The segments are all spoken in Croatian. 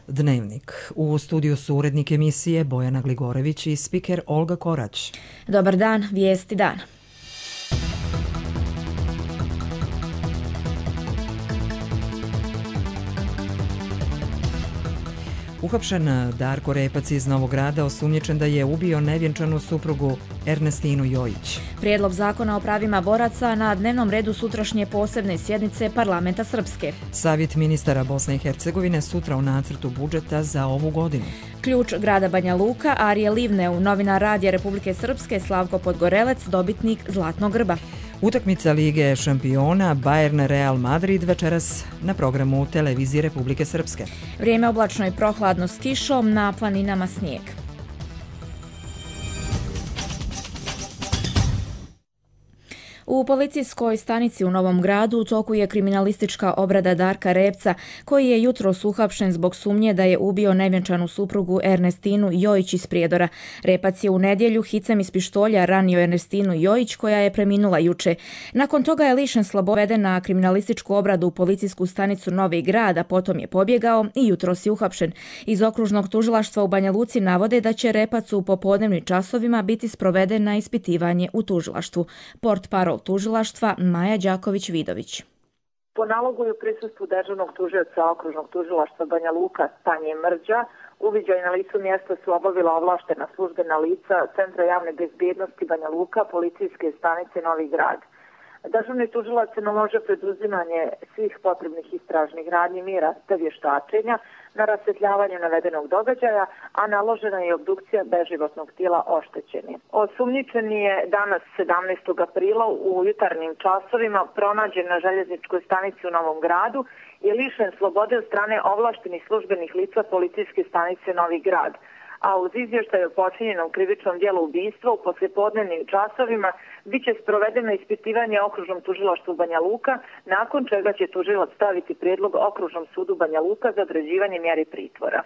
Dnevnik. U studiju su urednik emisije Bojana Gligorević i spiker Olga Korać. Dobar dan, vijesti dana. Uhapšen Darko Repac iz Novog Grada osumnjičen da je ubio nevjenčanu suprugu Ernestinu Jojić. Prijedlog zakona o pravima boraca na dnevnom redu sutrašnje posebne sjednice Parlamenta Srpske. Savjet ministara Bosne i Hercegovine sutra u nacrtu budžeta za ovu godinu. Ključ grada Banja Luka, Arije Livneu, novinar Radija Republike Srpske Slavko Podgorelec, dobitnik Zlatnog grba. Utakmica Lige šampiona Bayern Real Madrid večeras na programu Televizije Republike Srpske. Vrijeme oblačno i prohladno s kišom, na planinama snijeg. U policijskoj stanici u Novom Gradu u toku je kriminalistička obrada Darka Repca, koji je jutros uhapšen zbog sumnje da je ubio nevjenčanu suprugu Ernestinu Jojić iz Prijedora. Repac je u nedjelju hicem iz pištolja ranio Ernestinu Jojić, koja je preminula juče. Nakon toga je lišen slobode na kriminalističku obradu u policijsku stanicu Novi Grad, a potom je pobjegao i jutros je uhapšen. Iz okružnog tužilaštva u Banja Luci navode da će Repac u popodnevnim časovima biti sproveden na ispitivanje u tužilaštvu. Portparol tužilaštva Maja Đaković-Vidović. Po nalogu i u prisustvu dežurnog tužioca okružnog tužilaštva Banja Luka Stanje Mrđa, uviđaj na licu mjesta su obavila ovlaštena službena lica Centra javne bezbjednosti Banja Luka, policijske stanice Novi Grad. Dežurni tužilac naložio preduzimanje svih potrebnih istražnih radnji mira te vještačenja na rasvjetljavanje navedenog događaja, a naložena je obdukcija beživotnog tijela oštećenja. Osumnjičeni je danas 17. aprila u jutarnjim časovima pronađen na željezničkoj stanici u Novom Gradu i lišen slobode od strane ovlaštenih službenih lica policijske stanice Novi Grad, a uz izvještaj o počinjenom krivičnom djelu ubistva u poslijepodnevnim časovima bit će sprovedeno ispitivanje okružnom tužilaštvu Banja Luka, nakon čega će tužilac staviti prijedlog okružnom sudu Banja Luka za određivanje mjeri pritvora.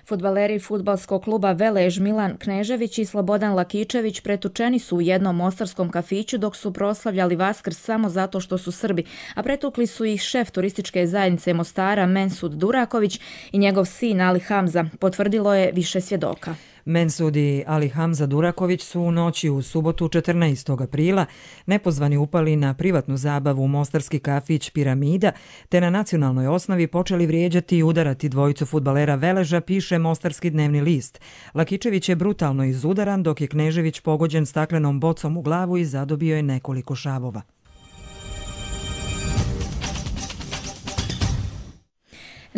Fudbaleri fudbalskog kluba Velež Milan Knežević i Slobodan Lakičević pretučeni su u jednom mostarskom kafiću dok su proslavljali Vaskrs samo zato što su Srbi, a pretukli su ih šef turističke zajednice Mostara Mensud Duraković i njegov sin Ali Hamza, potvrdilo je više svjedoka. Mensud i Ali Hamza Duraković su u noći u subotu 14. aprila nepozvani upali na privatnu zabavu u mostarski kafić Piramida, te na nacionalnoj osnovi počeli vrijeđati i udarati dvojicu fudbalera Veleža, piše Mostarski dnevni list. Lakičević je brutalno izudaran, dok je Knežević pogođen staklenom bocom u glavu i zadobio je nekoliko šavova.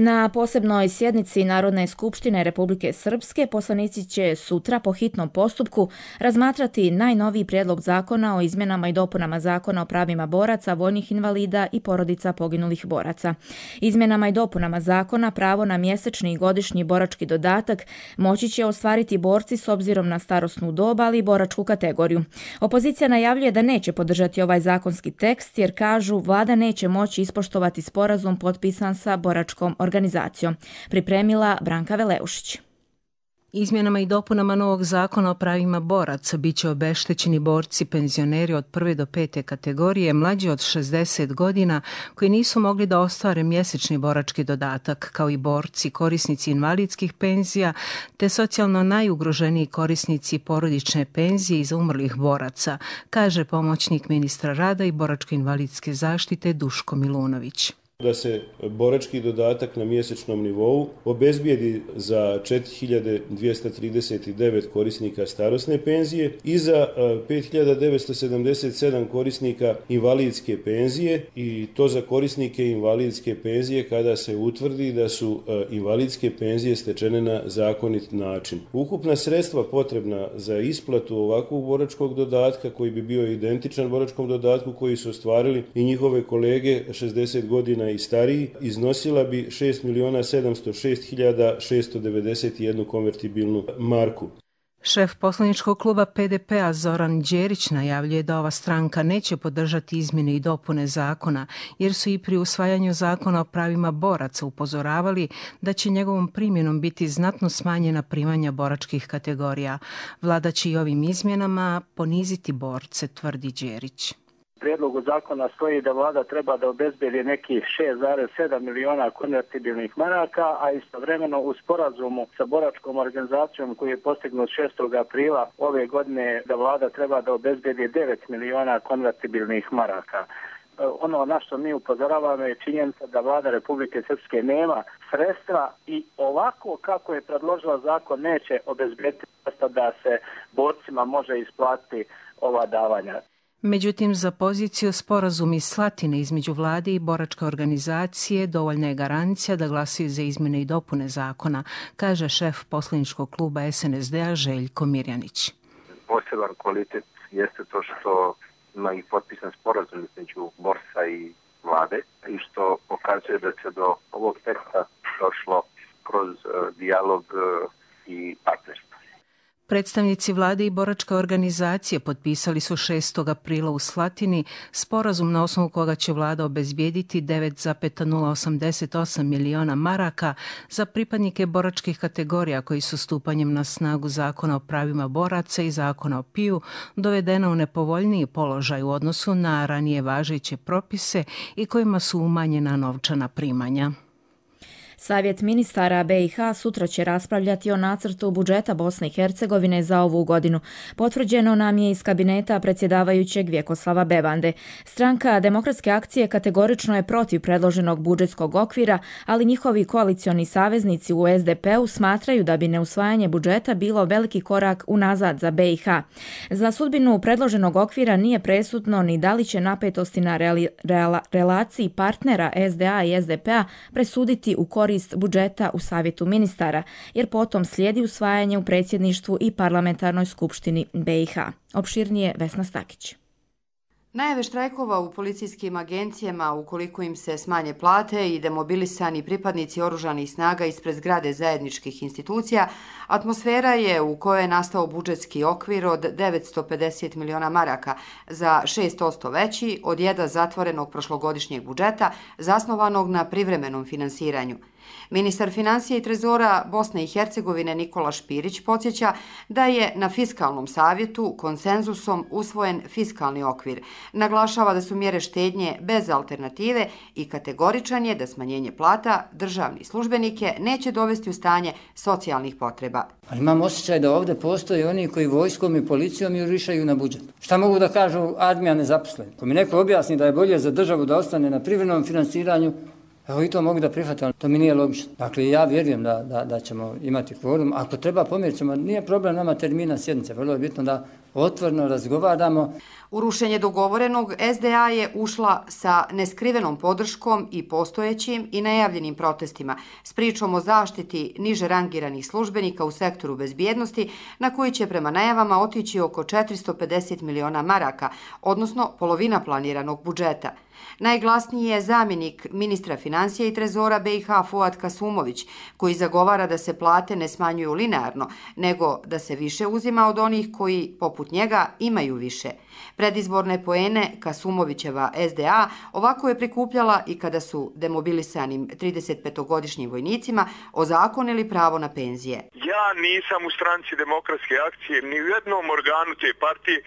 Na posebnoj sjednici Narodne skupštine Republike Srpske poslanici će sutra po hitnom postupku razmatrati najnoviji prijedlog zakona o izmjenama i dopunama Zakona o pravima boraca, vojnih invalida i porodica poginulih boraca. Izmjenama i dopunama zakona pravo na mjesečni i godišnji borački dodatak moći će ostvariti borci s obzirom na starosnu dob, ali i boračku kategoriju. Opozicija najavljuje da neće podržati ovaj zakonski tekst jer kažu vlada neće moći ispoštovati sporazum potpisan sa boračkom organizacijom. Pripremila Branka Veleušić. Izmjenama i dopunama novog zakona o pravima boraca bit će obeštećeni borci penzioneri od 1. do 5. kategorije mlađi od 60 godina koji nisu mogli da ostvare mjesečni borački dodatak, kao i borci korisnici invalidskih penzija te socijalno najugroženiji korisnici porodične penzije iz umrlih boraca, kaže pomoćnik ministra rada i boračko-invalidske zaštite Duško Milunović. Da se borački dodatak na mjesečnom nivou obezbijedi za 4239 korisnika starosne penzije i za 5977 korisnika invalidske penzije, i to za korisnike invalidske penzije kada se utvrdi da su invalidske penzije stečene na zakonit način. Ukupna sredstva potrebna za isplatu ovakvog boračkog dodatka, koji bi bio identičan boračkom dodatku koji su ostvarili i njihove kolege 60 godina i stariji, iznosila bi 6.706.691 konvertibilnu marku. Šef poslaničkog kluba PDP-a Zoran Đerić najavljuje da ova stranka neće podržati izmjene i dopune zakona, jer su i pri usvajanju zakona o pravima boraca upozoravali da će njegovom primjenom biti znatno smanjena primanja boračkih kategorija. Vlada će i ovim izmjenama poniziti borce, tvrdi Đerić. prijedlogu zakona stoji da vlada treba da obezbedi nekih 6,7 miliona konvertibilnih maraka, a istovremeno u sporazumu sa boračkom organizacijom koji je postignut 6. aprila ove godine da vlada treba da obezbedi 9 miliona konvertibilnih maraka. Ono na što mi upozoravamo je činjenica da vlada Republike Srpske nema sredstva i ovako kako je predložila zakon neće obezbediti da se borcima može isplatiti ova davanja. Međutim, za poziciju sporazum iz Slatine između vlade i boračke organizacije dovoljna je garancija da glasuju za izmjene i dopune zakona, kaže šef poslaničkog kluba SNSD-a Željko Mirjanić. Poseban kvalitet jeste to što ima i potpisan sporazum između borca i vlade i što pokazuje da se do ovog teksta došlo kroz dijalog i partnerstvo. Predstavnici vlade i boračke organizacije potpisali su 6. aprila u Slatini sporazum na osnovu koga će vlada obezbijediti 9,088 miliona maraka za pripadnike boračkih kategorija koji su stupanjem na snagu Zakona o pravima boraca i Zakona o PIU dovedena u nepovoljniji položaj u odnosu na ranije važeće propise i kojima su umanjena novčana primanja. Savjet ministara BiH sutra će raspravljati o nacrtu budžeta Bosne i Hercegovine za ovu godinu. Potvrđeno nam je iz kabineta predsjedavajućeg Vjekoslava Bebande. Stranka Demokratske akcije kategorično je protiv predloženog budžetskog okvira, ali njihovi koalicioni saveznici u SDP-u smatraju da bi neusvajanje budžeta bilo veliki korak unazad za BiH. Za sudbinu predloženog okvira nije presudno ni da li će napetosti na relaciji partnera SDA i SDP-a presuditi u korist budžeta u Savjetu ministara, jer potom slijedi usvajanje u predsjedništvu i parlamentarnoj skupštini BiH. Opširnije Vesna Stakić. Najave štrajkova u policijskim agencijama ukoliko im se smanje plate i demobilisani pripadnici oružanih snaga ispred zgrade zajedničkih institucija, atmosfera je u kojoj je nastao budžetski okvir od 950 miliona maraka, za 6% veći od jedva zatvorenog prošlogodišnjeg budžeta zasnovanog na privremenom finansiranju. Ministar financija i trezora Bosne i Hercegovine Nikola Špirić podsjeća da je na fiskalnom savjetu konsenzusom usvojen fiskalni okvir. Naglašava da su mjere štednje bez alternative i kategoričan je da smanjenje plata državnih službenike neće dovesti u stanje socijalnih potreba. Ali imam osjećaj da ovdje postoje oni koji vojskom i policijom jurišaju na budžet. Šta mogu da kažu armija nezaposleni? Ko mi neko objasni da je bolje za državu da ostane na privremenom finansiranju, evo i to mogu da prihvatim, ali to mi nije logično. Dakle, ja vjerujem da ćemo imati kvorum. Ako treba pomjerit ćemo, nije problem nama termina sjednice. Vrlo je bitno da otvoreno razgovaramo. U rušenje dogovorenog SDA je ušla sa neskrivenom podrškom i postojećim i najavljenim protestima s pričom o zaštiti niže rangiranih službenika u sektoru bezbjednosti na koji će prema najavama otići oko 450 miliona maraka, odnosno polovina planiranog budžeta. Najglasniji je zamjenik ministra financija i trezora BiH Fuad Kasumović, koji zagovara da se plate ne smanjuju linearno, nego da se više uzima od onih koji, poput njega, imaju više. Predizborne poene Kasumovićeva SDA ovako je prikupljala i kada su demobilisanim 35-godišnjim vojnicima ozakonili pravo na penzije. Ja nisam u stranci Demokratske akcije, ni u jednom organu te partije,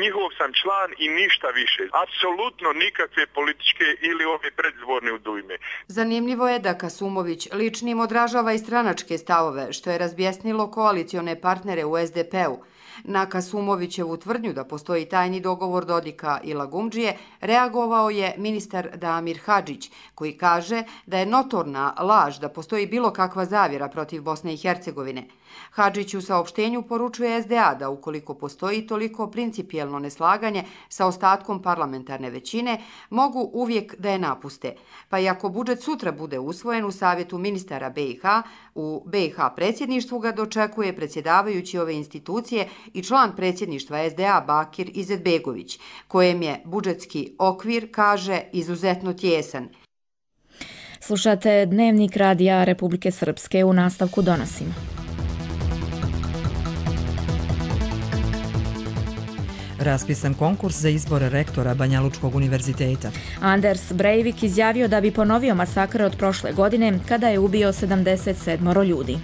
njihov sam član i ništa više. Apsolutno nikakve političke ili ove predizborne udujme. Zanimljivo je da Kasumović ličnim odražava i stranačke stavove, što je razbjesnilo koalicione partnere u SDP-u. Na Kasumovićevu tvrdnju da postoji tajni dogovor Dodika i Lagumdžije reagovao je ministar Damir Hadžić, koji kaže da je notorna laž da postoji bilo kakva zavjera protiv Bosne i Hercegovine. Hadžić u saopštenju poručuje SDA da ukoliko postoji toliko principijelno neslaganje sa ostatkom parlamentarne većine, mogu uvijek da je napuste. Pa i ako budžet sutra bude usvojen u Savjetu ministara BiH, u BiH predsjedništvu ga dočekuje predsjedavajući ove institucije i član predsjedništva SDA Bakir Izetbegović, kojem je budžetski okvir, kaže, izuzetno tjesan. Slušate Dnevnik radija Republike Srpske, u nastavku donosimo. Raspisan konkurs za izbor rektora Banjalučkog univerziteta. Anders Breivik izjavio da bi ponovio masakr od prošle godine kada je ubio 77 ljudi.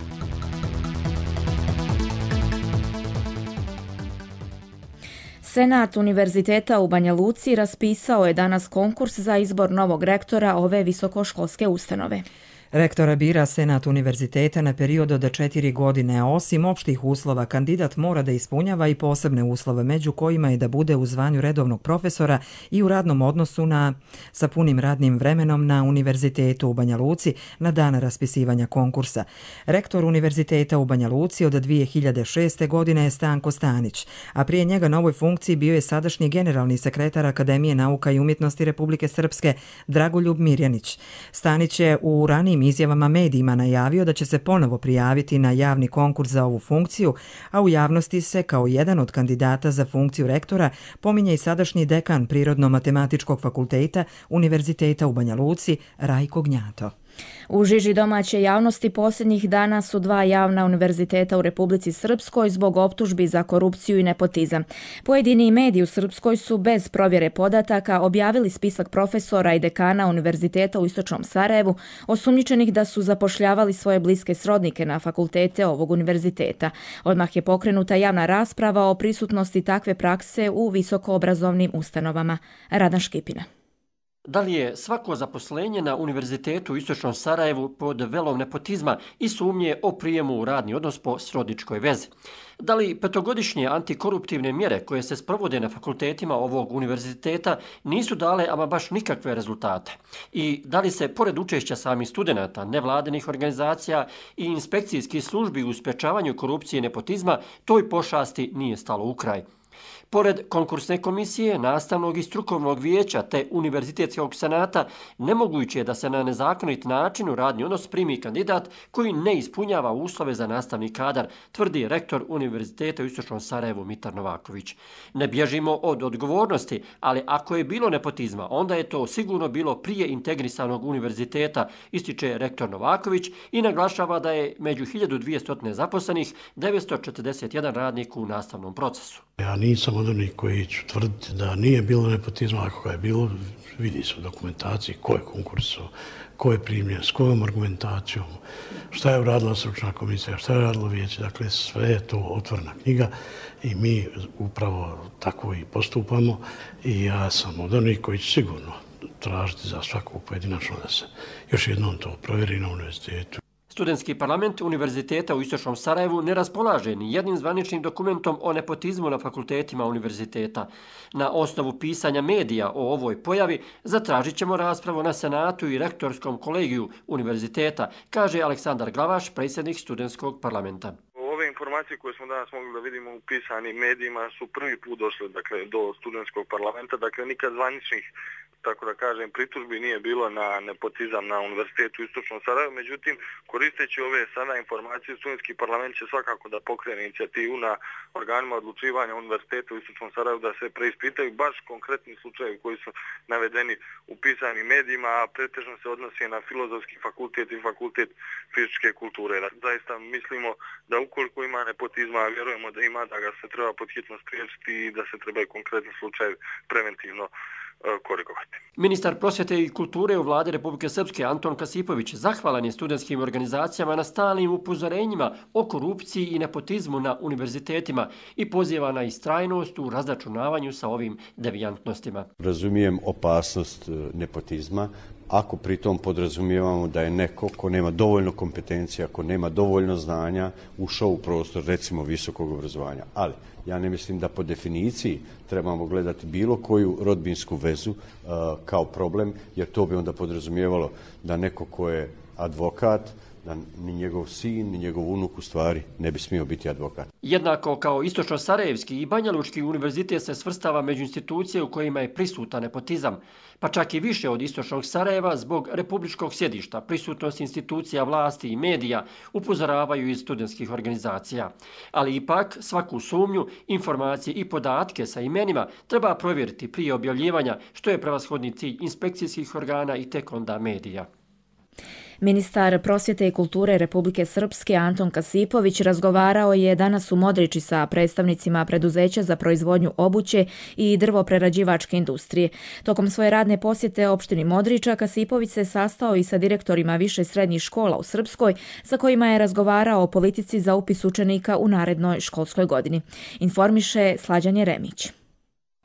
Senat Univerziteta u Banja Luci raspisao je danas konkurs za izbor novog rektora ove visokoškolske ustanove. Rektora bira Senat univerziteta na period od 4 godine, a osim opštih uslova kandidat mora da ispunjava i posebne uslove, među kojima je da bude u zvanju redovnog profesora i u radnom odnosu sa punim radnim vremenom na Univerzitetu u Banja Luci na dan raspisivanja konkursa. Rektor Univerziteta u Banja Luci od 2006. godine je Stanko Stanić, a prije njega na ovoj funkciji bio je sadašnji generalni sekretar Akademije nauka i umjetnosti Republike Srpske Dragoljub Mirjanić. Stanić je u ranijim izjavama medijima najavio da će se ponovo prijaviti na javni konkurs za ovu funkciju, a u javnosti se kao jedan od kandidata za funkciju rektora pominje i sadašnji dekan Prirodno-matematičkog fakulteta Univerziteta u Banja Luci Rajko Gnjato. U žiži domaće javnosti posljednjih dana su 2 javna univerziteta u Republici Srpskoj zbog optužbi za korupciju i nepotizam. Pojedini mediji u Srpskoj su bez provjere podataka objavili spisak profesora i dekana univerziteta u Istočnom Sarajevu, osumnjičenih da su zapošljavali svoje bliske srodnike na fakultete ovog univerziteta. Odmah je pokrenuta javna rasprava o prisutnosti takve prakse u visokoobrazovnim ustanovama. Radan Škipina. Da li je svako zaposlenje na Univerzitetu u Istočnom Sarajevu pod velom nepotizma i sumnje o prijemu u radni odnos po srodničkoj vezi? Da li 5-godišnje antikoruptivne mjere koje se sprovode na fakultetima ovog univerziteta nisu dale ama baš nikakve rezultate? I da li se, pored učešća samih studenata, nevladinih organizacija i inspekcijskih službi u sprečavanju korupcije i nepotizma, toj pošasti nije stalo u kraj? Pored konkursne komisije, nastavnog i strukovnog vijeća te univerzitetskog senata, nemoguće je da se na nezakonit način u radni odnos primi kandidat koji ne ispunjava uslove za nastavni kadar, tvrdi rektor Univerziteta u Istočnom Sarajevu Mitar Novaković. Ne bježimo od odgovornosti, ali ako je bilo nepotizma, onda je to sigurno bilo prije integrisanog univerziteta, ističe rektor Novaković i naglašava da je među 1200 zaposlenih 941 radnik u nastavnom procesu. Ja nisam od onih koji ću tvrditi da nije bilo nepotizma, ako ga je bilo, vidi se u dokumentaciji ko je konkursao, ko je primljen, s kojom argumentacijom, šta je uradila stručna komisija, šta je uradilo vijeće, dakle sve je to otvorena knjiga i mi upravo tako i postupamo i ja sam od onih koji će sigurno tražiti za svaku pojedinačno da se još jednom to provjeri na univerzitetu. Studentski parlament Univerziteta u Istočnom Sarajevu ne raspolaže ni jednim zvaničnim dokumentom o nepotizmu na fakultetima univerziteta. Na osnovu pisanja medija o ovoj pojavi zatražit ćemo raspravu na Senatu i rektorskom kolegiju univerziteta, kaže Aleksandar Glavaš, predsjednik studentskog parlamenta. Ove informacije koje smo danas mogli da vidimo u pisanim medijima su prvi put došle do studentskog parlamenta, nikad zvaničnih, tako da kažem, pritužbi nije bilo na nepotizam na Univerzitetu u Istočnom Sarajevu. Međutim, koristeći ove sada informacije, studentski parlament će svakako da pokrene inicijativu na organima odlučivanja Univerziteta u Istočnom Sarajevu da se preispitaju baš konkretni slučajevi koji su navedeni u pisanim medijima, a pretežno se odnosi na Filozofski fakultet i Fakultet fizičke kulture. Zaista mislimo da ukoliko ima nepotizma, a vjerujemo da ima, da ga se treba pod hitno spriječiti i da se trebaju konkretni slučajevi preventivno korigovati. Ministar prosvjete i kulture u vladi Republike Srpske Anton Kasipović zahvalan je studentskim organizacijama na stalnim upozorenjima o korupciji i nepotizmu na univerzitetima i poziva na istrajnost u razračunavanju sa ovim devijantnostima. Razumijem opasnost nepotizma, ako pritom podrazumijevamo da je neko ko nema dovoljno kompetencija, ko nema dovoljno znanja, ušao u prostor, recimo, visokog obrazovanja. Ali ja ne mislim da po definiciji trebamo gledati bilo koju rodbinsku vezu kao problem, jer to bi onda podrazumijevalo da neko ko je advokat, da ni njegov sin, ni njegov unuk u stvari ne bi smio biti advokat. Jednako kao Istočno-Sarajevski i Banja Lučki univerzitet se svrstava među institucije u kojima je prisutan nepotizam, pa čak i više od Istočnog Sarajeva zbog republičkog sjedišta, prisutnost institucija vlasti i medija upozoravaju iz studentskih organizacija. Ali ipak svaku sumnju, informacije i podatke sa imenima treba provjeriti prije objavljivanja, što je prevashodni cilj inspekcijskih organa i tek onda medija. Ministar prosvjete i kulture Republike Srpske Anton Kasipović razgovarao je danas u Modriči sa predstavnicima preduzeća za proizvodnju obuće i drvoprerađivačke industrije. Tokom svoje radne posjete opštini Modriča, Kasipović se sastao i sa direktorima više srednjih škola u Srpskoj, sa kojima je razgovarao o politici za upis učenika u narednoj školskoj godini. Informiše Slađan Jeremić.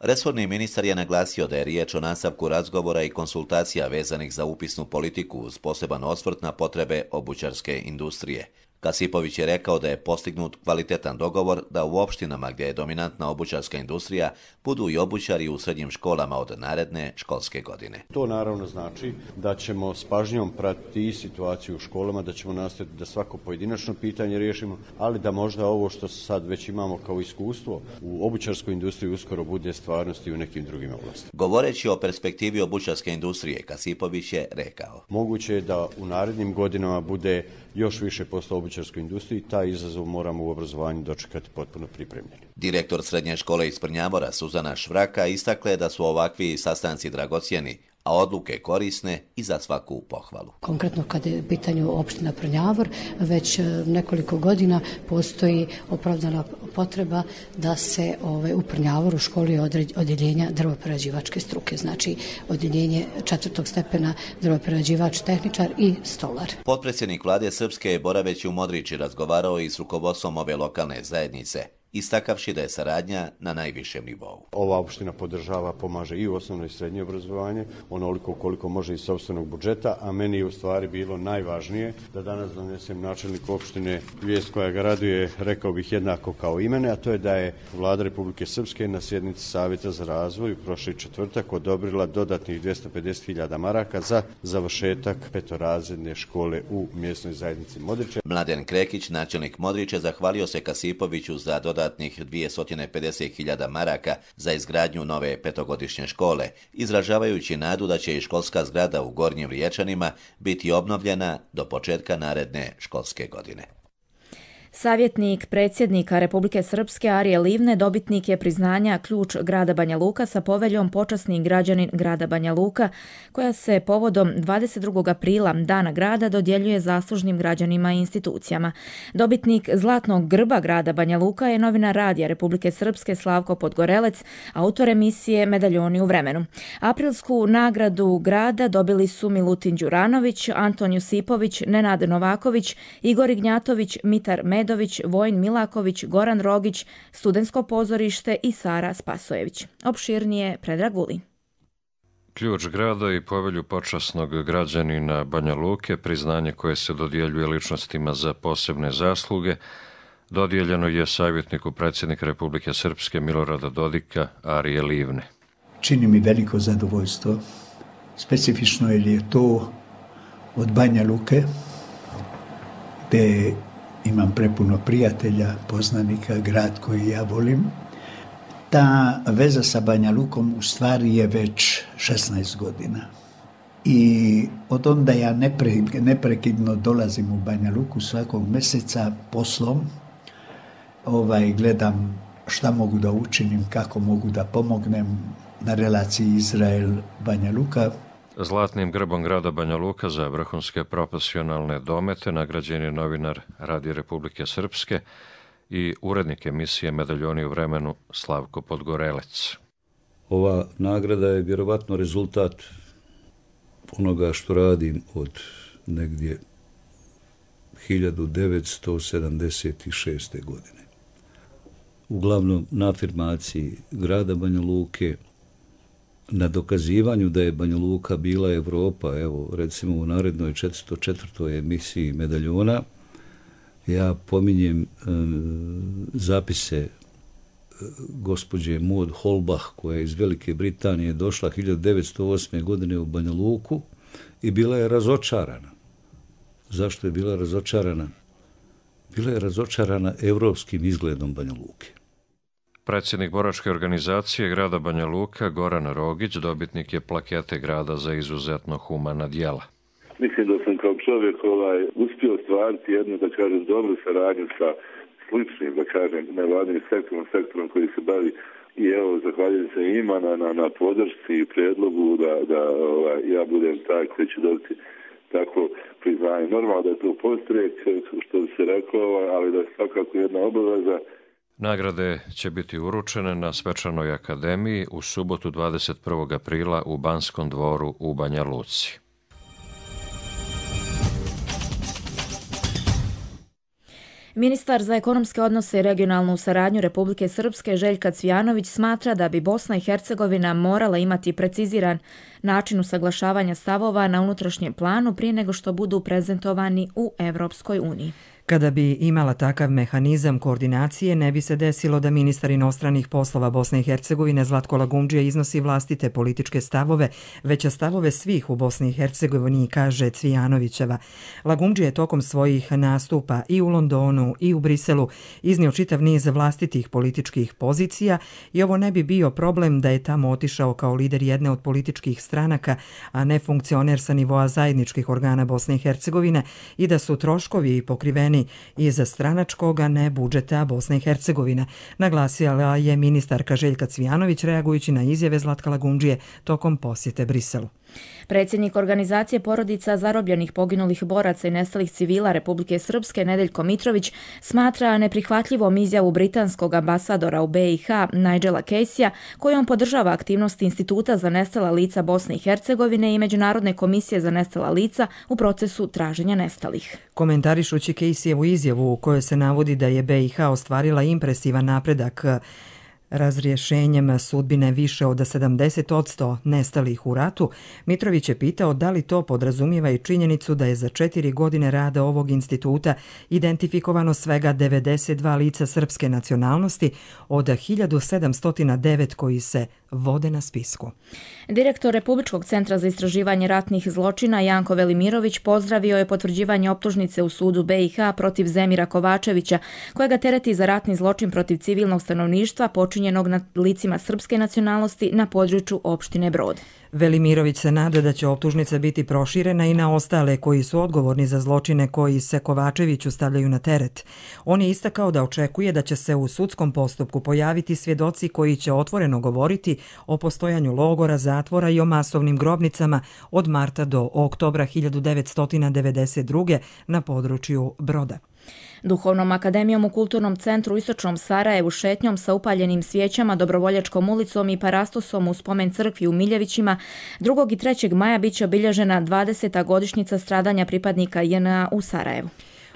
Resorni ministar je naglasio da je riječ o nastavku razgovora i konsultacija vezanih za upisnu politiku uz poseban osvrt na potrebe obućarske industrije. Kasipović je rekao da je postignut kvalitetan dogovor da u opštinama gdje je dominantna obućarska industrija budu i obućari u srednjim školama od naredne školske godine. To naravno znači da ćemo s pažnjom pratiti situaciju u školama, da ćemo nastaviti da svako pojedinačno pitanje riješimo, ali da možda ovo što sad već imamo kao iskustvo u obućarskoj industriji uskoro bude stvarnost i u nekim drugim oblastima. Govoreći o perspektivi obućarske industrije, Kasipović je rekao: moguće je da u narednim godinama bude još više posla u obućarskoj industriji, taj izazov moramo u obrazovanju dočekati potpuno pripremljeni. Direktor srednje škole iz Prnjavora Suzana Švraka istakla je da su ovakvi sastanci dragocjeni, a odluke korisne i za svaku pohvalu. Konkretno kad je u pitanju opština Prnjavor, već nekoliko godina postoji opravdana potreba da se u Prnjavoru školi odjeljenja drvoprerađivačke struke, znači odjeljenje 4. stepena drvoprerađivač, tehničar i stolar. Potpredsjednik vlade Srpske je boraveći u Modriči razgovarao i s rukovodstvom ove lokalne zajednice, istakavši da je saradnja na najvišem nivou. Ova opština podržava, pomaže i u osnovno i srednje obrazovanje, onoliko koliko može iz sopstvenog budžeta, a meni je u stvari bilo najvažnije da danas donesem načelniku opštine vijest koja ga raduje, rekao bih jednako kao i mene, a to je da je Vlada Republike Srpske na sjednici Savjeta za razvoj prošli četvrtak odobrila dodatnih 250.000 maraka za završetak petorazredne škole u mjesnoj zajednici Modriče. Mladen Krekić, načelnik Modriče, zahvalio se Kasipoviću za dodatnih 250.000 maraka za izgradnju nove petogodišnje škole, izražavajući nadu da će i školska zgrada u Gornjim Riječanima biti obnovljena do početka naredne školske godine. Savjetnik predsjednika Republike Srpske Arije Livne dobitnik je priznanja Ključ grada Banja Luka sa poveljom Počasni građanin grada Banja Luka, koja se povodom 22. aprila, Dana grada, dodjeljuje zaslužnim građanima i institucijama. Dobitnik Zlatnog grba grada Banja Luka je novinar Radija Republike Srpske Slavko Podgorelec, autor emisije Medaljoni u vremenu. Aprilsku nagradu grada dobili su Milutin Đuranović, Anton Jusipović, Nenad Novaković, Igor Ignjatović, Mitar Medović, Vojin Milaković, Goran Rogić, Studentsko pozorište i Sara Spasojević. Opširnije Predrag Vulin. Ključ grada i povelju počasnog građanina Banja Luke, priznanje koje se dodjeljuje ličnostima za posebne zasluge, dodijeljeno je savjetniku predsjednika Republike Srpske Milorada Dodika Arije Livne. Čini mi veliko zadovoljstvo, specifično jer je to od Banja Luke, gde imam prepuno prijatelja, poznanika, grad koji ja volim. Ta veza sa Banja Lukom u stvari je već 16 godina. I od onda ja neprekidno dolazim u Banja Luku svakog mjeseca poslom. Gledam šta mogu da učinim, kako mogu da pomognem na relaciji Izrael-Banja Luka. Zlatnim grbom grada Banja Luka za vrhunske profesionalne domete nagrađen je novinar Radija Republike Srpske i urednik emisije Medaljoni u vremenu Slavko Podgorelec. Ova nagrada je vjerovatno rezultat onoga što radim od negdje 1976. godine. Uglavnom na afirmaciji grada Banja Luke, na dokazivanju da je Banja Luka bila Evropa, evo recimo u narednoj 404. emisiji Medaljona, ja pominjem zapise gospođe Maud Holbach, koja je iz Velike Britanije došla 1908. godine u Banja Luku i bila je razočarana. Zašto je bila razočarana? Bila je razočarana evropskim izgledom Banja Luke. Predsjednik boračke organizacije grada Banja Luka, Goran Rogić, dobitnik je plakete grada za izuzetno humana djela. Mislim da sam kao čovjek uspio stvariti jednu, da kažem, dobru saradnju sa sličnim, da kažem, nevladnim sektorom koji se bavi. I evo, zahvaljujem se njima na podršci i predlogu da ja budem taj koji će dobiti tako priznanje. Normalno da je to postrek, što bi se reklo, ali da je svakako jedna obaveza. Nagrade će biti uručene na Svečanoj akademiji u subotu 21. aprila u Banskom dvoru u Banja Luci. Ministar za ekonomske odnose i regionalnu saradnju Republike Srpske Željka Cvijanović smatra da bi Bosna i Hercegovina morala imati preciziran način usaglašavanja stavova na unutrašnjem planu prije nego što budu prezentovani u Evropskoj uniji. Kada bi imala takav mehanizam koordinacije, ne bi se desilo da ministar inostranih poslova Bosne i Hercegovine Zlatko Lagumdžija iznosi vlastite političke stavove, već stavove svih u Bosni i Hercegovini, kaže Cvijanovićeva. Lagumdžija je tokom svojih nastupa i u Londonu i u Briselu iznio čitav niz vlastitih političkih pozicija i ovo ne bi bio problem da je tamo otišao kao lider jedne od političkih stranaka, a ne funkcioner sa nivoa zajedničkih organa Bosne i Hercegovine i da su troškovi pokriveni iz stranačkog, a ne budžeta Bosne i Hercegovine. Naglasila je ministarka Željka Cvijanović reagujući na izjave Zlatka Lagumdžije tokom posjete Briselu. Predsjednik organizacije porodica zarobljenih poginulih boraca i nestalih civila Republike Srpske Nedeljko Mitrović smatra neprihvatljivom izjavu britanskog ambasadora u BiH Nigela Caseyja kojom podržava aktivnosti Instituta za nestala lica Bosne i Hercegovine i Međunarodne komisije za nestala lica u procesu traženja nestalih. Komentarišući Caseyjevu izjavu u kojoj se navodi da je BiH ostvarila impresivan napredak razrješenjem sudbine više od 70% nestalih u ratu, Mitrović je pitao da li to podrazumijeva i činjenicu da je za 4 godine rada ovog instituta identifikovano svega 92 lica srpske nacionalnosti od 1709 koji se vode na spisku. Direktor Republičkog centra za istraživanje ratnih zločina Janko Velimirović pozdravio je potvrđivanje optužnice u sudu BiH protiv Zemira Kovačevića, koja ga tereti za ratni zločin protiv civilnog stanovništva počinjenog nad licima srpske nacionalnosti na području opštine Brod. Velimirović se nada da će optužnica biti proširena i na ostale koji su odgovorni za zločine koji se Kovačeviću stavljaju na teret. On je istakao da očekuje da će se u sudskom postupku pojaviti svjedoci koji će otvoreno govoriti o postojanju logora, zatvora i o masovnim grobnicama od marta do oktobra 1992. na području Broda. Duhovnom akademijom u Kulturnom centru u Istočnom Sarajevu šetnjom sa upaljenim svijećama, Dobrovoljačkom ulicom i parastosom u spomen crkvi u Miljevićima 2. i 3. maja biće obilježena 20. godišnjica stradanja pripadnika JNA u Sarajevu.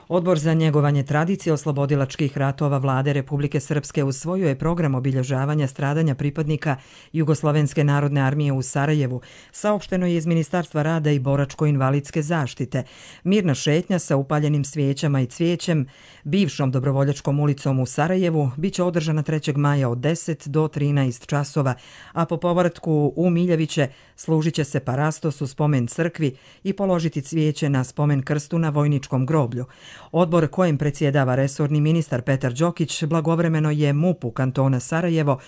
Odbor za njegovanje tradicije oslobodilačkih ratova Vlade Republike Srpske usvojio je program obilježavanja stradanja pripadnika Jugoslovenske narodne armije u Sarajevu, saopšteno je iz Ministarstva rada i boračko-invalidske zaštite. Mirna šetnja sa upaljenim svijećama i cvijećem bivšom Dobrovoljačkom ulicom u Sarajevu biće održana 3. maja od 10 do 13 časova, a po povratku u Miljeviće služit će se parastos u spomen crkvi i položiti cvijeće na spomen krstu na vojničkom groblju. Odbor kojem predsjedava resorni ministar Petar Đokić blagovremeno je MUP-u kantona Sarajevo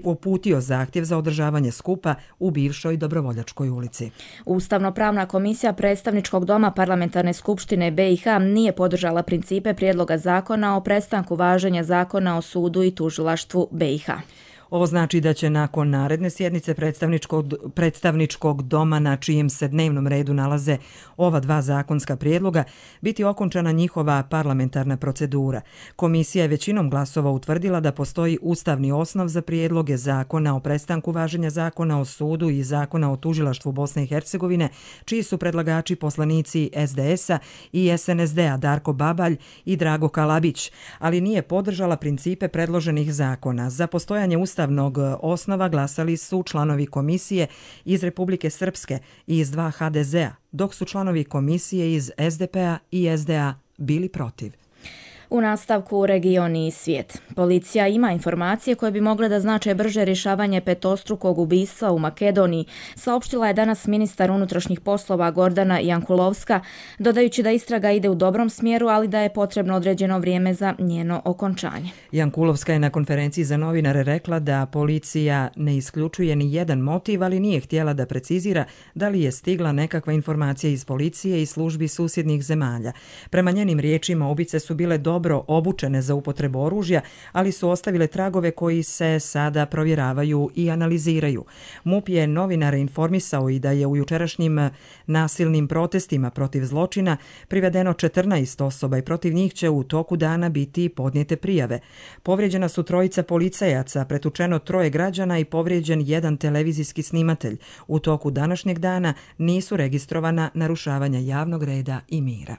uputio zahtjev za održavanje skupa u bivšoj Dobrovoljačkoj ulici. Ustavno-pravna komisija predstavničkog doma Parlamentarne skupštine BiH nije podržala principe prijedloga zakona o prestanku važenja zakona o sudu i tužilaštvu BiH. Ovo znači da će nakon naredne sjednice predstavničkog doma na čijem se dnevnom redu nalaze ova dva zakonska prijedloga biti okončana njihova parlamentarna procedura. Komisija je većinom glasova utvrdila da postoji ustavni osnov za prijedloge zakona o prestanku važenja zakona o sudu i zakona o tužilaštvu Bosne i Hercegovine, čiji su predlagači poslanici SDS-a i SNSD-a Darko Babalj i Drago Kalabić, ali nije podržala principe predloženih zakona. Za postojanje ustavnog osnova glasali su članovi komisije iz Republike Srpske i iz 2 HDZ-a, dok su članovi komisije iz SDP-a i SDA bili protiv. U nastavku regioni i svijet. Policija ima informacije koje bi mogle da znače brže rješavanje petostrukog ubistva u Makedoniji, saopštila je danas ministar unutrašnjih poslova Gordana Jankulovska, dodajući da istraga ide u dobrom smjeru, ali da je potrebno određeno vrijeme za njeno okončanje. Jankulovska je na konferenciji za novinare rekla da policija ne isključuje ni jedan motiv, ali nije htjela da precizira da li je stigla nekakva informacija iz policije i službi susjednih zemalja. Prema njenim riječima, ubice su bile dobro obučene za upotrebu oružja, ali su ostavile tragove koji se sada provjeravaju i analiziraju. MUP je novinare informisao i da je u jučerašnjim nasilnim protestima protiv zločina privedeno 14 osoba i protiv njih će u toku dana biti podnijete prijave. Povrijeđena su 3 policajaca, pretučeno 3 građana i povrijeđen 1 televizijski snimatelj. U toku današnjeg dana nisu registrovana narušavanja javnog reda i mira.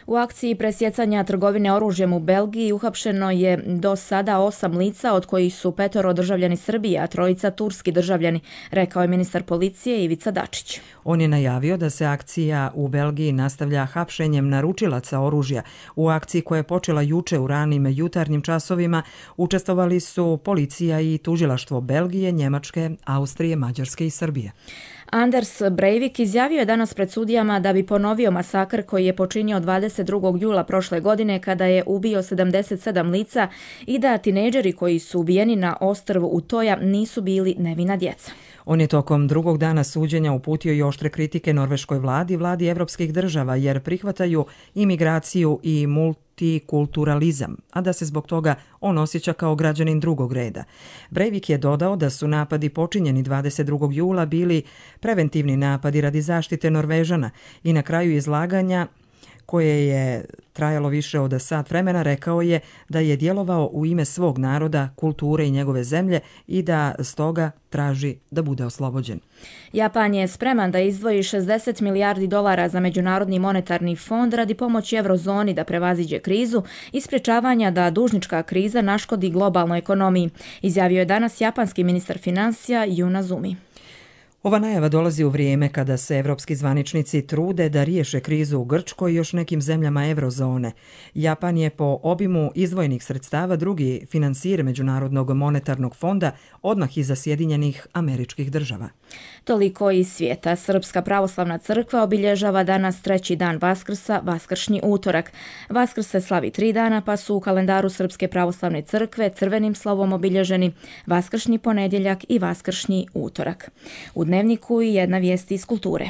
U akciji presjecanja trgovine oružja oružjem u Belgiji uhapšeno je do sada 8 lica, od kojih su 5 državljani Srbije, a 3 turski državljani, rekao je ministar policije Ivica Dačić. On je najavio da se akcija u Belgiji nastavlja hapšenjem naručilaca oružja. U akciji koja je počela juče u ranim jutarnjim časovima učestvovali su policija i tužilaštvo Belgije, Njemačke, Austrije, Mađarske i Srbije. Anders Breivik izjavio je danas pred sudijama da bi ponovio masakr koji je počinio 22. jula prošle godine kada je ubio 77 lica i da tinejdžeri koji su ubijeni na ostrvu Utoja nisu bili nevina djeca. On je tokom drugog dana suđenja uputio i oštre kritike norveškoj vladi i vladi evropskih država jer prihvataju imigraciju i multikulturalizam, a da se zbog toga on osjeća kao građanin drugog reda. Breivik je dodao da su napadi počinjeni 22. jula bili preventivni napadi radi zaštite Norvežana i na kraju izlaganja koje je trajalo više od sat vremena, rekao je da je djelovao u ime svog naroda, kulture i njegove zemlje i da stoga traži da bude oslobođen. Japan je spreman da izdvoji $60 milijardi za Međunarodni monetarni fond radi pomoći eurozoni da prevaziđe krizu i sprječavanja da dužnička kriza naškodi globalnoj ekonomiji, izjavio je danas japanski ministar financija Jun Azumi. Ova najava dolazi u vrijeme kada se evropski zvaničnici trude da riješe krizu u Grčkoj i još nekim zemljama eurozone. Japan je po obimu izdvojenih sredstava drugi financijer Međunarodnog monetarnog fonda odmah iza Sjedinjenih Američkih Država. Toliko iz svijeta. Srpska pravoslavna crkva obilježava danas 3. dan Vaskrsa, Vaskršnji utorak. Vaskrs se slavi 3 dana, pa su u kalendaru Srpske pravoslavne crkve crvenim slovom obilježeni Vaskršnji ponedjeljak i Vaskršnji utorak. U Dnevniku i jedna vijest iz kulture.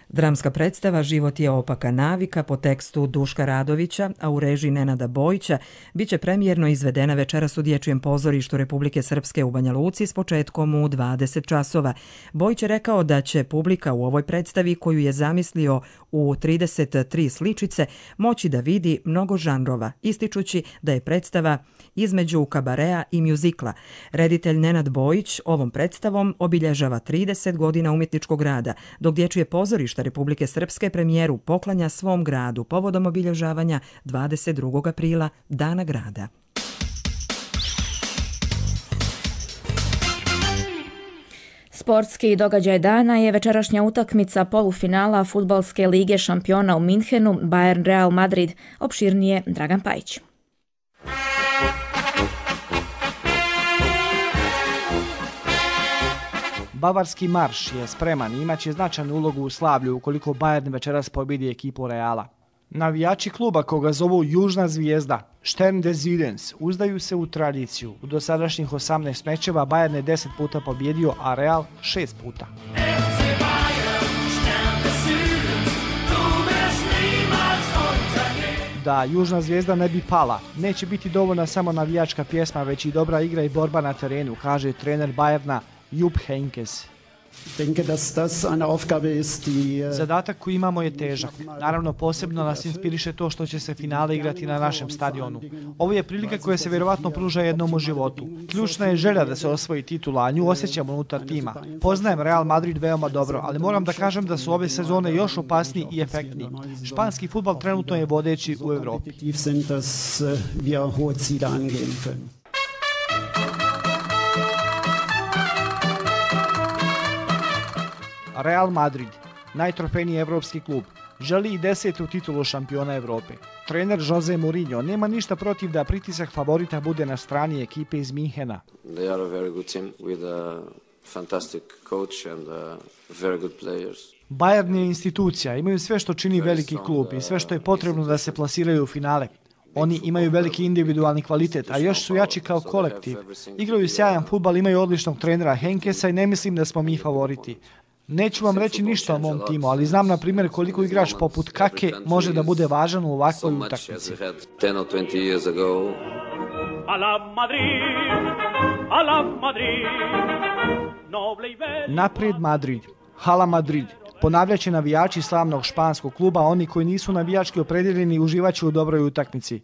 Dramska predstava Život je opaka navika po tekstu Duška Radovića, a u režiji Nenada Bojića, biće premijerno izvedena večeras u Dječjem pozorištu Republike Srpske u Banja Luci s početkom u 20 časova. Bojić je rekao da će publika u ovoj predstavi, koju je zamislio u 33 sličice, moći da vidi mnogo žanrova, ističući da je predstava između kabarea i mjuzikla. Reditelj Nenad Bojić ovom predstavom obilježava 30 godina umjetničkog rada, dok Dječje pozorište Republike Srpske premijeru poklanja svom gradu povodom obilježavanja 22. aprila, Dana grada. Sportski događaj dana je večerašnja utakmica polufinala Fudbalske lige šampiona u Minhenu, Bayern Real Madrid. Opširnije Dragan Pajić. Bavarski marš je spreman i imaće značajnu ulogu u slavlju ukoliko Bayern večeras pobjedi ekipu Reala. Navijači kluba koga zovu Južna zvijezda, Stern des Südens, uzdaju se u tradiciju. U dosadašnjih 18 mečeva Bayern je 10 puta pobjedio, a Real 6 puta. Da Južna zvijezda ne bi pala, neće biti dovoljna samo navijačka pjesma, već i dobra igra i borba na terenu, kaže trener Bayerna Jupp Heynckes. Zadatak koji imamo je težak. Naravno, posebno nas inspiriše to što će se finale igrati na našem stadionu. Ovo je prilika koja se vjerovatno pruža jednom u životu. Ključna je želja da se osvoji titula, a nju osjećamo unutar tima. Poznajem Real Madrid veoma dobro, ali moram da kažem da su ove sezone još opasniji i efektniji. Španski fudbal trenutno je vodeći u Evropi. Real Madrid, najtrofejniji evropski klub, želi i 10. titulu šampiona Evrope. Trener Jose Mourinho nema ništa protiv da pritisak favorita bude na strani ekipe iz Minhena. They are a very good team with a fantastic coach and very good players. Bayern je institucija, imaju sve što čini veliki klub i sve što je potrebno da se plasiraju u finale. Oni imaju veliki individualni kvalitet, a još su jači kao kolektiv. Igraju sjajan fudbal, imaju odličnog trenera Heynckesa i ne mislim da smo mi favoriti. Neću vam reći ništa o mom timu, ali znam na primjer koliko igrač poput Kake može da bude važan u ovakvoj utakmici. Naprijed Madrid, Hala Madrid, Ponavljaće navijači slavnog španskog kluba, oni koji nisu navijački opredjeljeni uživaće u dobroj utakmici.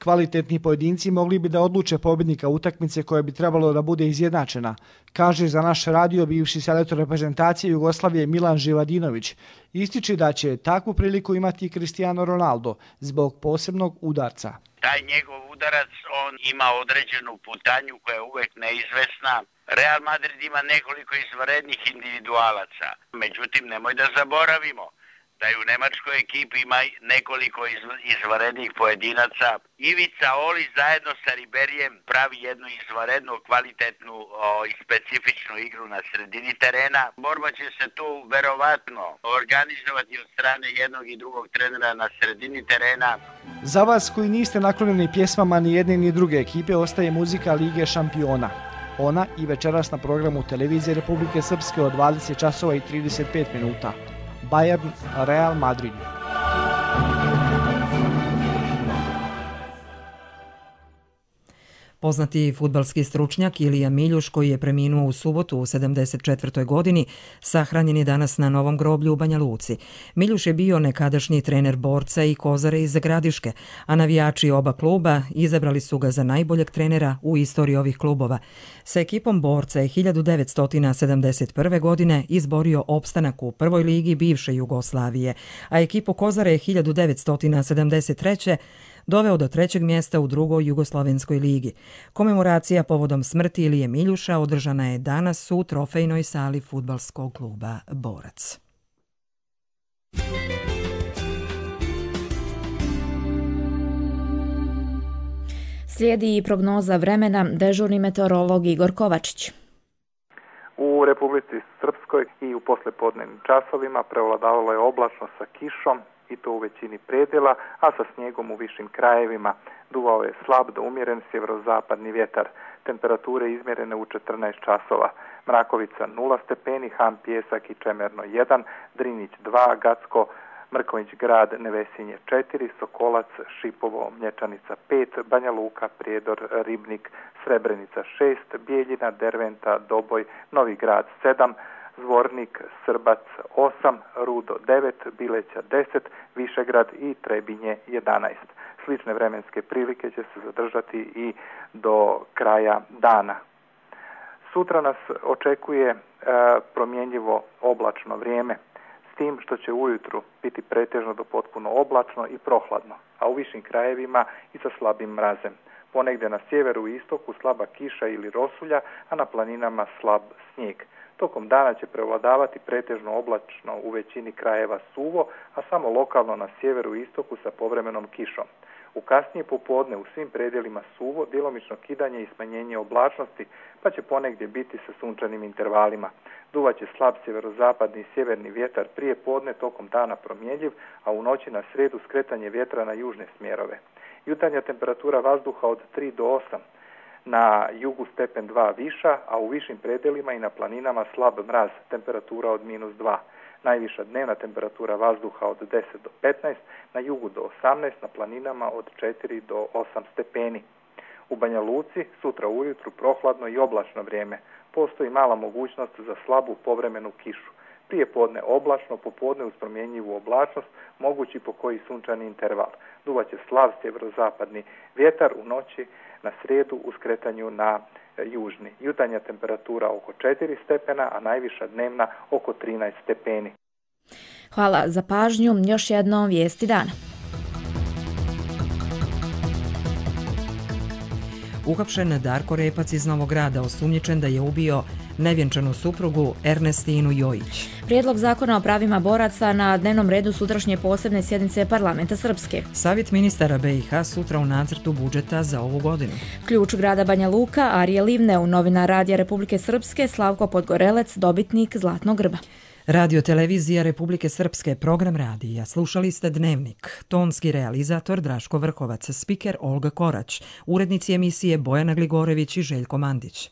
Kvalitetni pojedinci mogli bi da odluče pobjednika utakmice koja bi trebalo da bude izjednačena, kaže za naš radio bivši selektor reprezentacije Jugoslavije Milan Živadinović. Ističe da će takvu priliku imati Cristiano Ronaldo zbog posebnog udarca. Taj njegov udarac, on ima određenu putanju koja je uvek neizvesna. Real Madrid ima nekoliko izvanrednih individualaca. Međutim, nemoj da zaboravimo da je u nemačkoj ekipi ima nekoliko izvanrednih pojedinaca. Ivica Oli zajedno sa Riberijem pravi jednu izvanrednu, kvalitetnu i specifičnu igru na sredini terena. Borba će se tu verovatno organizovati od strane jednog i drugog trenera na sredini terena. Za vas koji niste naklonjeni pjesmama ni jedne ni druge ekipe ostaje muzika Lige šampiona. Ona i večeras na programu televizije Republike Srpske od 20 časova i 35 minuta. Bayern, Real Madrid. Poznati fudbalski stručnjak Ilija Miljuš, koji je preminuo u subotu u 74. godini, sahranjen je danas na Novom groblju u Banja Luci. Miljuš je bio nekadašnji trener Borca i Kozare iz Gradiške, a navijači oba kluba izabrali su ga za najboljeg trenera u istoriji ovih klubova. Sa ekipom Borca je 1971. godine izborio opstanak u prvoj ligi bivše Jugoslavije, a ekipu Kozare je 1973. doveo do 3. mjesta u drugoj Jugoslovenskoj ligi. Komemoracija povodom smrti Ilije Miljuša održana je danas u trofejnoj sali fudbalskog kluba Borac. Slijedi i prognoza vremena, dežurni meteorolog Igor Kovačić. U Republici Srpskoj i u poslepodnevnim časovima prevladavalo je oblačno sa kišom, i to u većini predjela, a sa snijegom u višim krajevima. Duvao je slab do umjeren sjeverozapadni vjetar. Temperature izmjerene u 14 časova. Mrakovica 0 stepeni, Han Pjesak i Čemerno 1, Drinić 2, Gacko, Mrković grad, Nevesinje 4, Sokolac, Šipovo, Mlječanica 5, Banja Luka, Prijedor, Ribnik, Srebrenica 6, Bijeljina, Derventa, Doboj, Novi grad 7, Zvornik, Srbac 8, Rudo 9, Bileća 10, Višegrad i Trebinje 11. Slične vremenske prilike će se zadržati i do kraja dana. Sutra nas očekuje promjenjivo oblačno vrijeme, s tim što će ujutru biti pretežno do potpuno oblačno i prohladno, a u višim krajevima i sa slabim mrazem. Ponegdje na sjeveru i istoku slaba kiša ili rosulja, a na planinama slab snijeg. Tokom dana će prevladavati pretežno oblačno u većini krajeva suvo, a samo lokalno na sjeveru i istoku sa povremenom kišom. U kasnije popodne u svim predjelima suvo, djelomično kidanje i smanjenje oblačnosti, pa će ponegdje biti sa sunčanim intervalima. Duvaće slab sjeverozapadni i sjeverni vjetar prije podne, tokom dana promjenjiv, a u noći na sredu skretanje vjetra na južne smjerove. Jutarnja temperatura vazduha od 3 do 8, na jugu stepen 2 viša, a u višim predjelima i na planinama slab mraz, temperatura od -2. Najviša dnevna temperatura vazduha od 10 do 15, na jugu do 18, na planinama od 4 do 8 stepeni. U Banja Luci sutra ujutru prohladno i oblačno vrijeme. Postoji mala mogućnost za slabu povremenu kišu. Prije podne oblačno, popodne uz promjenjivu oblačnost, mogući po koji sunčani interval. Duvaće slab sjeverozapadni vjetar u noći na srijedu u skretanju na južni. Jutarnja temperatura oko 4 stepena, a najviša dnevna oko 13 stepeni. Hvala za pažnju. Još jednom vijesti dana. Uhapšen Darko Repac iz Novog Grada, osumnjičen da je ubio nevjenčanu suprugu Ernestinu Jojić. Prijedlog zakona o pravima boraca na dnevnom redu sutrašnje posebne sjednice Parlamenta Srpske. Savjet ministara BiH sutra u nacrtu budžeta za ovu godinu. Ključ grada Banja Luka, Arije Livneu, novinar Radija Republike Srpske, Slavko Podgorelec, dobitnik Zlatnog grba. Radio televizija Republike Srpske, program radija. Slušali ste Dnevnik. Tonski realizator Draško Vrhovac, spiker Olga Korać, urednici emisije Bojana Gligorević i Željko Mandić.